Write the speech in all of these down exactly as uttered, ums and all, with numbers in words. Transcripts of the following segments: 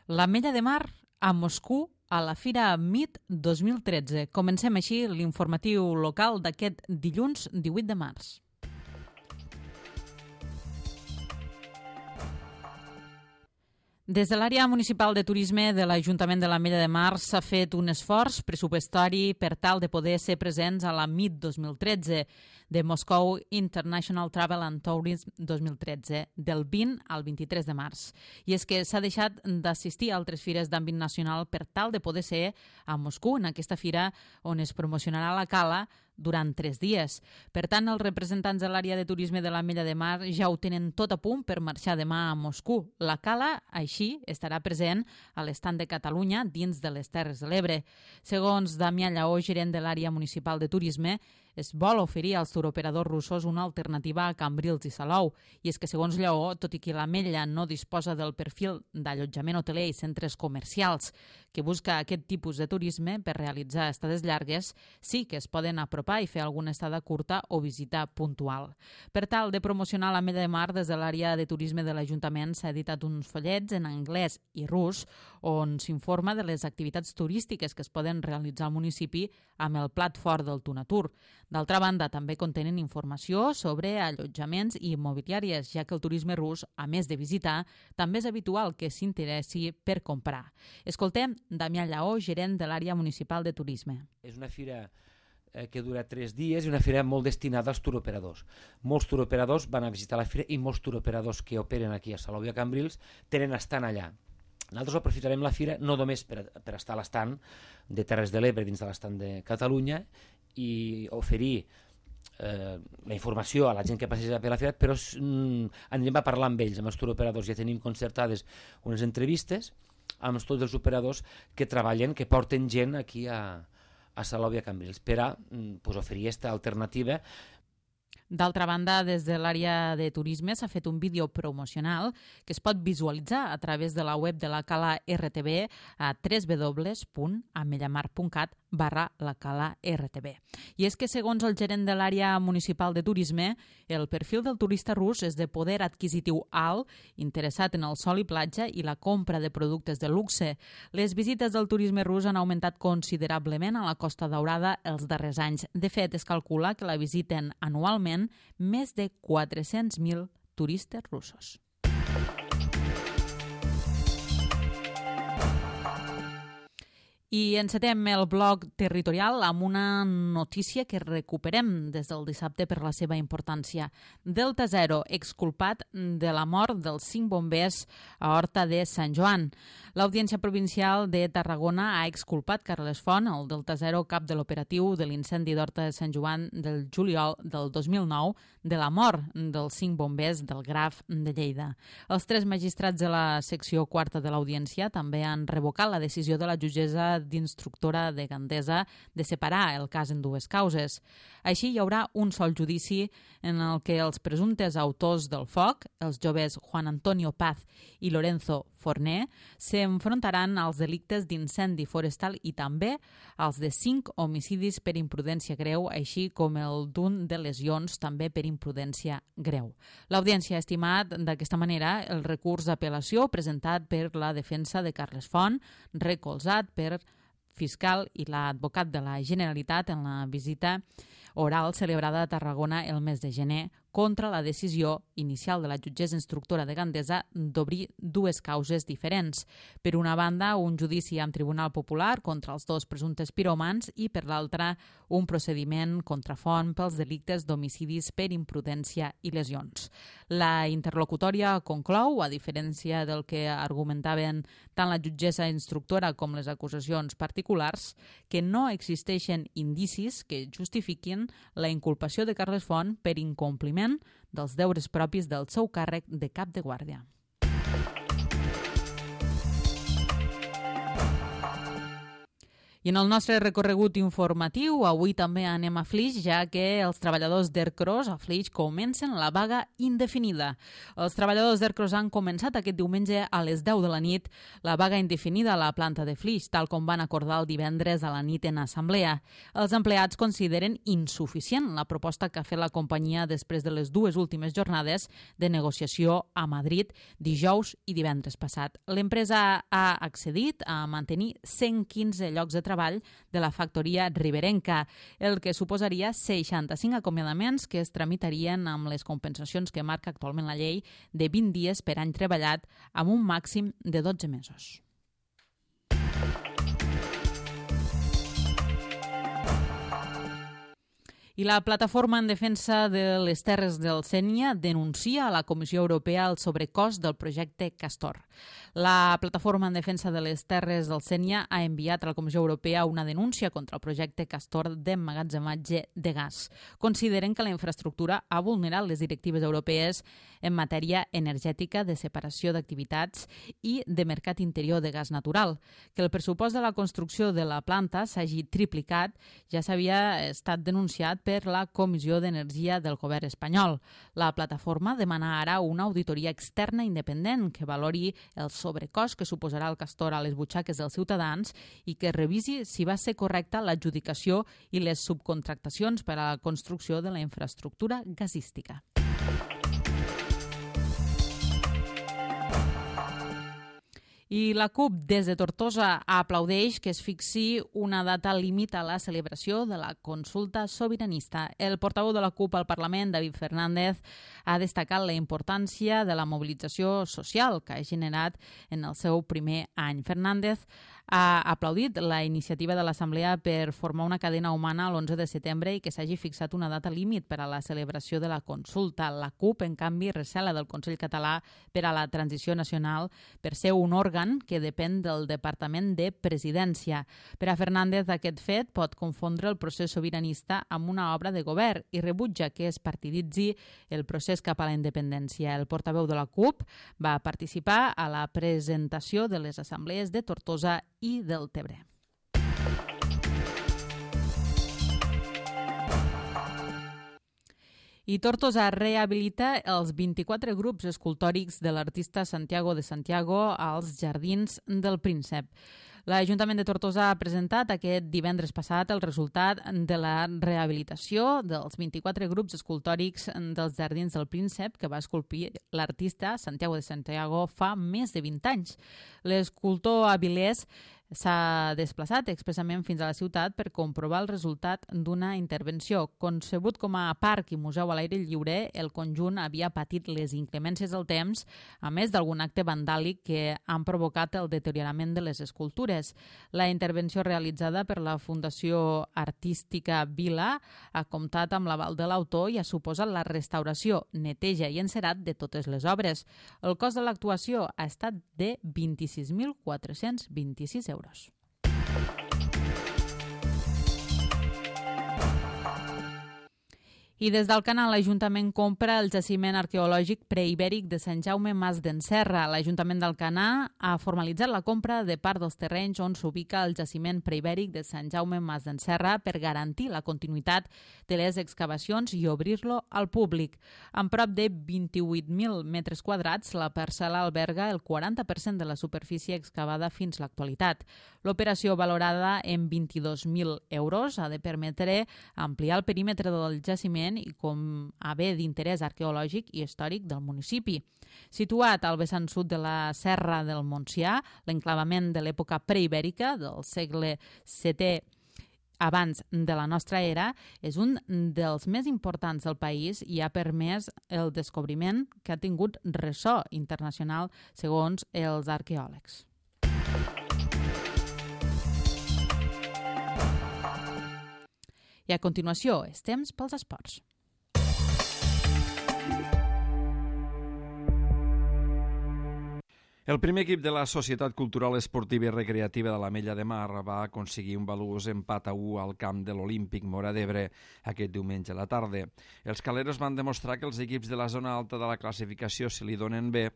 L'Ametlla de Mar a Moscou a la Fira MIT dos mil tretze. Comencem així l'informatiu local d'aquest dilluns divuit de març. Des de l'àrea municipal de turisme de l'Ajuntament de l'Ametlla de Mar s'ha fet un esforç pressupostari per tal de poder ser presents a la MIT dos mil tretze de Moscow International Travel and Tourism dos mil tretze, del vint al vint-i-tres de març. I és que s'ha deixat d'assistir a altres fires d'àmbit nacional per tal de poder ser a Moscou, en aquesta fira on es promocionarà la cala durant tres dies. Per tant, els representants de l'àrea de turisme de l'Ametlla de Mar ja ho tenen tot a punt per marxar demà a Moscou. La cala, així, estarà present a l'estand de Catalunya dins de les Terres de l'Ebre. Segons Damià Lleó, gerent de l'àrea municipal de turisme, es vol oferir als turoperadors russos una alternativa a Cambrils i Salou. I és que, segons Lleó, tot i que l'Ametlla no disposa del perfil d'allotjament hoteler i centres comercials que busca aquest tipus de turisme per realitzar estades llargues, sí que es poden apropar i fer alguna estada curta o visita puntual. Per tal de promocionar l'Ametlla de Mar, des de l'àrea de turisme de l'Ajuntament s'ha editat uns follets en anglès i rus on s'informa de les activitats turístiques que es poden realitzar al municipi amb el plat fort del Tunatur. D'altra banda, també contenen informació sobre allotjaments i immobiliàries, ja que el turisme rus, a més de visitar, també és habitual que s'interessi per comprar. Escoltem Damià Lleó, gerent de l'àrea municipal de turisme. És una fira que dura tres dies i una fira molt destinada als turoperadors. Molts turoperadors van a visitar la fira i molts turoperadors que operen aquí a Salou i a Cambrils tenen estant allà. Nosaltres aprofitarem la fira no només per, per estar a l'estant de Terres de l'Ebre dins de l'estant de Catalunya i oferir eh, la informació a la gent que passeja per la fira, però mm, anirem a parlar amb ells, amb els turoperadors. Ja tenim concertades unes entrevistes amb tots els operadors que treballen, que porten gent aquí a a Salou i a Cambrils, per a pues, oferir aquesta alternativa. D'altra banda, des de l'àrea de turisme s'ha fet un vídeo promocional que es pot visualitzar a través de la web de la Cala R T B a w w w punt amellamar punt cat barra la Cala R T B. I és que, segons el gerent de l'àrea municipal de turisme, el perfil del turista rus és de poder adquisitiu alt, interessat en el sol i platja i la compra de productes de luxe. Les visites del turisme rus han augmentat considerablement a la Costa Daurada els darrers anys. De fet, es calcula que la visiten anualment més de quatre-cents mil turistes russos. I encetem el bloc territorial amb una notícia que recuperem des del dissabte per la seva importància. Delta Zero, exculpat de la mort dels cinc bombers a Horta de Sant Joan. L'Audiència Provincial de Tarragona ha exculpat Carles Font, el Delta Zero, cap de l'operatiu de l'incendi d'Horta de Sant Joan del juliol del dos mil nou, de la mort dels cinc bombers del Graf de Lleida. Els tres magistrats de la secció quarta de l'Audiència també han revocat la decisió de la jutgessa d'instructora de Gandesa de separar el cas en dues causes. Així hi haurà un sol judici en el que els presumptes autors del foc, els joves Juan Antonio Paz i Lorenzo Forné, s'enfrontaran als delictes d'incendi forestal i també als de cinc homicidis per imprudència greu, així com el d'un de lesions també per imprudència greu. L'Audiència ha estimat d'aquesta manera el recurs d'apel·lació presentat per la defensa de Carles Font, recolzat per fiscal i l'advocat de la Generalitat en la visita oral celebrada a Tarragona el mes de gener contra la decisió inicial de la jutgessa instructora de Gandesa d'obrir dues causes diferents. Per una banda, un judici amb Tribunal Popular contra els dos presumptes piròmans i, per l'altra, un procediment contra Font pels delictes d'homicidis per imprudència i lesions. La interlocutòria conclou, a diferència del que argumentaven tant la jutgessa instructora com les acusacions particulars, que no existeixen indicis que justifiquin la inculpació de Carles Font per incompliment dels deures propis del seu càrrec de cap de guàrdia. I I en el nostre recorregut informatiu, avui també anem a Flix, ja que els treballadors d'Ercros a Flix comencen la vaga indefinida. Els treballadors d'Ercros han començat aquest diumenge a les deu de la nit la vaga indefinida a la planta de Flix, tal com van acordar el divendres a la nit en assemblea. Els empleats consideren insuficient la proposta que ha fet la companyia després de les dues últimes jornades de negociació a Madrid dijous i divendres passat. L'empresa ha accedit a mantenir cent quinze llocs de treball de la factoria riberenca, el que suposaria seixanta-cinc acomiadaments que es tramitarien amb les compensacions que marca actualment la llei de vint dies per any treballat amb un màxim de dotze mesos. I la Plataforma en Defensa de les Terres del Sénia denuncia a la Comissió Europea el sobrecost del projecte Castor. La Plataforma en Defensa de les Terres del Sénia ha enviat a la Comissió Europea una denúncia contra el projecte Castor d'emmagatzematge de gas. Consideren que la infraestructura ha vulnerat les directives europees en matèria energètica, de separació d'activitats i de mercat interior de gas natural. Que el pressupost de la construcció de la planta s'hagi triplicat ja s'havia estat denunciat per la Comissió d'Energia del govern espanyol. La plataforma demana ara una auditoria externa independent que valori el sobrecost que suposarà el Castor a les butxaques dels ciutadans i que revisi si va ser correcta l'adjudicació i les subcontractacions per a la construcció de la infraestructura gasística. I la CUP des de Tortosa aplaudeix que es fixi una data límit a la celebració de la consulta sobiranista. El portaveu de la CUP al Parlament, David Fernández, ha destacat la importància de la mobilització social que ha generat en el seu primer any. Fernández ha aplaudit la iniciativa de l'Assemblea per formar una cadena humana l'onze de setembre i que s'hagi fixat una data límit per a la celebració de la consulta. La CUP, en canvi, recela del Consell Català per a la Transició Nacional per ser un òrgan que depèn del Departament de Presidència. Per a Fernández, aquest fet pot confondre el procés sobiranista amb una obra de govern i rebutja que es partiditzi el procés cap a la independència. El portaveu de la CUP va participar a la presentació de les assemblees de Tortosa i del Tebre. I Tortosa rehabilita els vint-i-quatre grups escultòrics de l'artista Santiago de Santiago als Jardins del Príncep. L'Ajuntament de Tortosa ha presentat aquest divendres passat el resultat de la rehabilitació dels vint-i-quatre grups escultòrics dels Jardins del Príncep que va esculpir l'artista Santiago de Santiago fa més de vint anys. L'escultor avilès s'ha desplaçat expressament fins a la ciutat per comprovar el resultat d'una intervenció. Concebut com a parc i museu a l'aire lliure, el conjunt havia patit les inclemències del temps, a més d'algun acte vandàlic que han provocat el deteriorament de les escultures. La intervenció realitzada per la Fundació Artística Vila ha comptat amb l'aval de l'autor i ha suposat la restauració, neteja i encerat de totes les obres. El cost de l'actuació ha estat de vint-i-sis mil quatre-cents vint-i-sis euros. I des del canal l'Ajuntament compra el jaciment arqueològic preibèric de Sant Jaume Mas d'en Serra. L'Ajuntament d'Alcanar ha formalitzat la compra de part dels terrenys on s'ubica el jaciment preibèric de Sant Jaume Mas d'en Serra per garantir la continuïtat de les excavacions i obrir-lo al públic. Amb prop de vint-i-vuit mil metres quadrats, la parcel·la alberga el quaranta per cent de la superfície excavada fins l'actualitat. L'operació, valorada en vint-i-dos mil euros, ha de permetre ampliar el perímetre del jaciment i com a bé d'interès arqueològic i històric del municipi. Situat al vessant sud de la Serra del Montsià, l'enclavament de l'època preibèrica del segle setè abans de la nostra era, és un dels més importants del país i ha permès el descobriment que ha tingut ressò internacional segons els arqueòlegs. I a continuació, és temps pels esports. El primer equip de la Societat Cultural Esportiva i Recreativa de l'Ametlla de Mar va aconseguir un valuós empat a u al camp de l'Olímpic Móra d'Ebre aquest diumenge a la tarda. Els caleros van demostrar que els equips de la zona alta de la classificació se li donen bé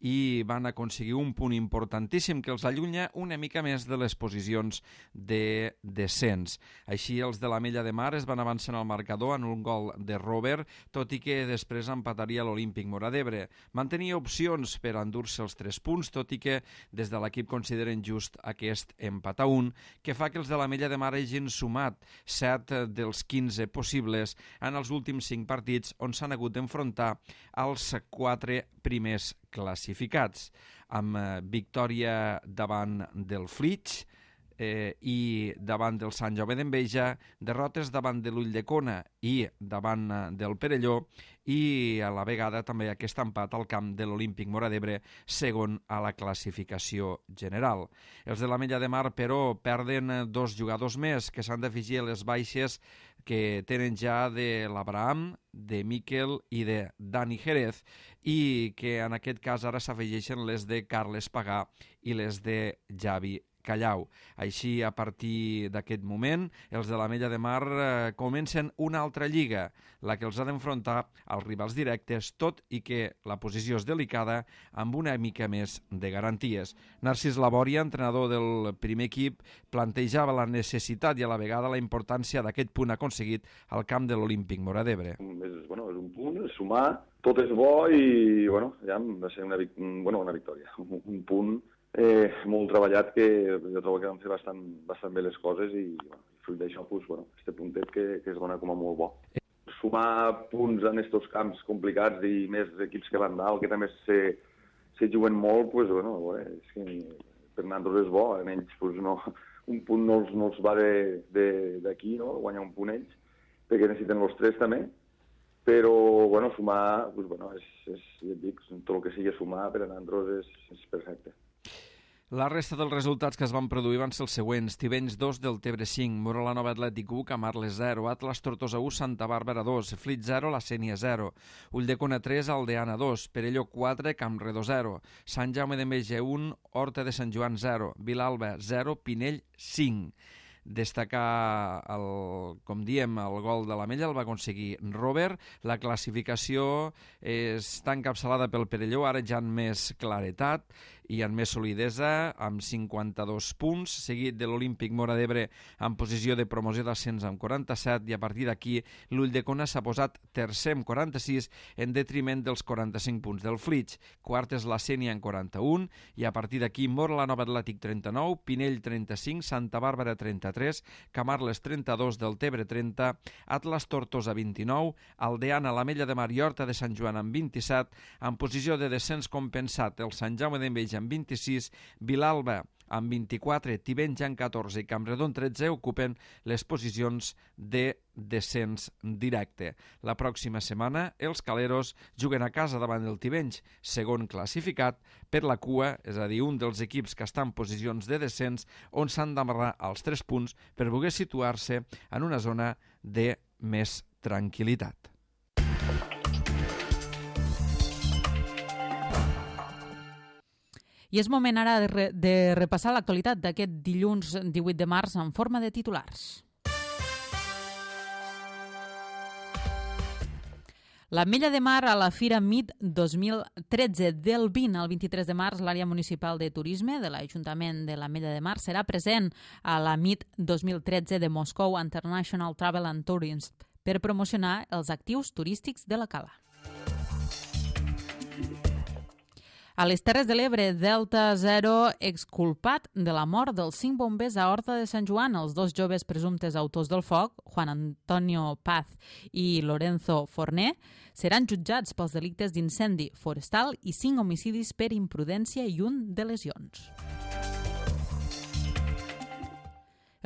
i van aconseguir un punt importantíssim que els allunya una mica més de les posicions de descens. Així, els de l'Ametlla de Mar es van avançar en el marcador en un gol de Robert, tot i que després empataria l'Olímpic Móra d'Ebre. Mantenia opcions per endur-se els tres punts, tot i que des de l'equip consideren just aquest empat a un, que fa que els de l'Ametlla de Mar hagin sumat set dels quinze possibles en els últims cinc partits on s'han hagut d'enfrontar als quatre primers classificats, amb victòria davant del Flix, Eh, i davant del Sant Jaume d'Enveja, derrotes davant de l'Ulldecona i davant del Perelló, i a la vegada també aquest empat al camp de l'Olímpic Móra d'Ebre, segon a la classificació general. Els de l'Ametlla de Mar, però, perden dos jugadors més que s'han d'afegir a les baixes que tenen ja de l'Abraham, de Miquel i de Dani Jerez, i que en aquest cas ara s'afegeixen les de Carles Pagà i les de Javi Callau. Així, a partir d'aquest moment, els de l'Ametlla de Mar eh, comencen una altra lliga, la que els ha d'enfrontar als rivals directes, tot i que la posició és delicada, amb una mica més de garanties. Narcís Labòria, entrenador del primer equip, plantejava la necessitat i a la vegada la importància d'aquest punt aconseguit al camp de l'Olímpic Móra d'Ebre. És, bueno, és un punt, és sumar, tot és bo i bueno, ja va ser una, bueno, una victòria, un punt Eh, molt treballat, que jo trobo que van fer bastant, bastant bé les coses i bueno, fruit d'això, pues, bueno, este puntet que, que es dona com a molt bo. Sumar punts en aquests camps complicats i més equips que van dalt, que també se, se juguen molt, pues, bueno, és que per nosaltres és bo, almenys pues, no, un punt no els, no els va d'aquí, no? Guanyar un punt ells, perquè necessiten els tres també, però bueno, sumar, pues, bueno, és, és, ja et dic, tot el que sigui sumar per a nosaltres és, és perfecte. La resta dels resultats que es van produir van ser els següents: Tivenys dos, Deltebre cinc, Morolanova Atlètic u, Camarles zero, Atlas Tortosa u, Santa Bàrbara dos, Flix zero, La Sénia zero, Ulldecona tres, Aldeana dos, Perelló quatre, Campredó zero, Sant Jaume d'Enveja un, Horta de Sant Joan zero, Vilalba zero, Pinell cinc. Destacar, el, com diem, el gol de l'Ametlla el va aconseguir Robert. La classificació està encapçalada pel Perelló, ara ja en més claretat i en més solidesa, amb cinquanta-dos punts, seguit de l'Olímpic Móra d'Ebre en posició de promoció d'ascens amb quaranta-set, i a partir d'aquí l'Ulldecona s'ha posat tercer amb quaranta-sis en detriment dels quaranta-cinc punts del Flix. Quart és la Sénia en quaranta-un, i a partir d'aquí Morolanova Atlètic trenta-nou, Pinell trenta-cinc, Santa Bàrbara trenta-tres, Camarles trenta-dos, Deltebre trenta, Atlas Tortosa vint-i-nou, Aldeana, l'Ametlla de Mar i Horta de Sant Joan amb vint-i-set, en posició de descens compensat el Sant Jaume d'Enveja amb vint-i-sis, Vilalba amb vint-i-quatre, Tivenys amb catorze i Campredó amb tretze ocupen les posicions de descens directe. La pròxima setmana els caleros juguen a casa davant del Tivenys, segon classificat, per la cua, és a dir, un dels equips que està en posicions de descens, on s'han d'amarrar els tres punts per poder situar-se en una zona de més tranquil·litat. I és moment ara de, re, de repassar l'actualitat d'aquest dilluns divuit de març en forma de titulars. L'Ametlla de Mar a la Fira M I T dos mil tretze. Del vint al vint-i-tres de març, l'àrea municipal de turisme de l'Ajuntament de l'Ametlla de Mar serà present a la M I T dos mil tretze de Moscou International Travel and Tourism per promocionar els actius turístics de la cala. A les Terres de l'Ebre, Delta zero exculpat de la mort dels cinc bombers a Horta de Sant Joan. Els dos joves presumptes autors del foc, Juan Antonio Paz i Lorenzo Forné, seran jutjats pels delictes d'incendi forestal i cinc homicidis per imprudència i un de lesions.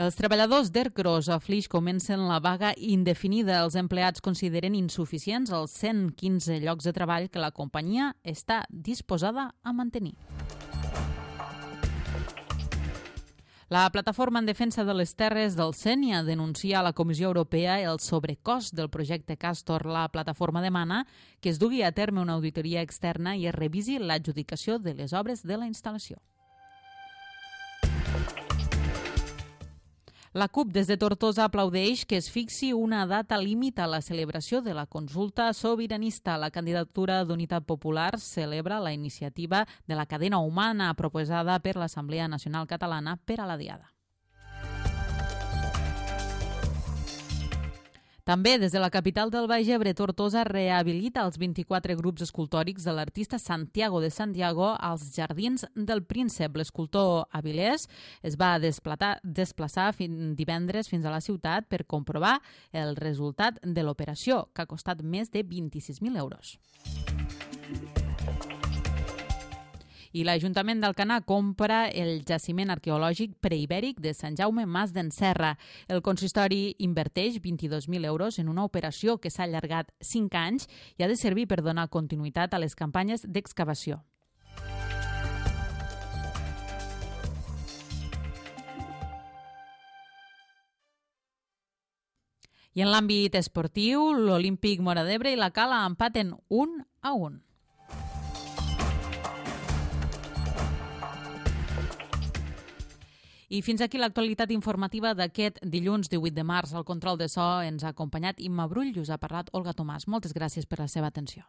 Els treballadors d'Ercros a Flix comencen la vaga indefinida. Els empleats consideren insuficients els cent quinze llocs de treball que la companyia està disposada a mantenir. La plataforma en defensa de les terres del Sénia denuncia a la Comissió Europea el sobrecost del projecte Castor. La plataforma demana que es dugui a terme una auditoria externa i es revisi l'adjudicació de les obres de la instal·lació. La CUP des de Tortosa aplaudeix que es fixi una data límit a la celebració de la consulta sobiranista. La candidatura d'Unitat Popular celebra la iniciativa de la cadena humana proposada per l'Assemblea Nacional Catalana per a la Diada. També des de la capital del Baix Ebre, Tortosa rehabilita els vint-i-quatre grups escultòrics de l'artista Santiago de Santiago als Jardins del Príncep. L'escultor avilès es va desplaçar divendres fins a la ciutat per comprovar el resultat de l'operació, que ha costat més de vint-i-sis mil euros. I l'Ajuntament d'Alcanar compra el jaciment arqueològic preibèric de Sant Jaume Mas d'en Serra. El consistori inverteix vint-i-dos mil euros en una operació que s'ha allargat cinc anys i ha de servir per donar continuïtat a les campanyes d'excavació. I en l'àmbit esportiu, l'Olímpic Móra d'Ebre i la Cala empaten un a un. I fins aquí l'actualitat informativa d'aquest dilluns divuit de març. Al control de so ens ha acompanyat Imma Brull i us ha parlat Olga Tomàs. Moltes gràcies per la seva atenció.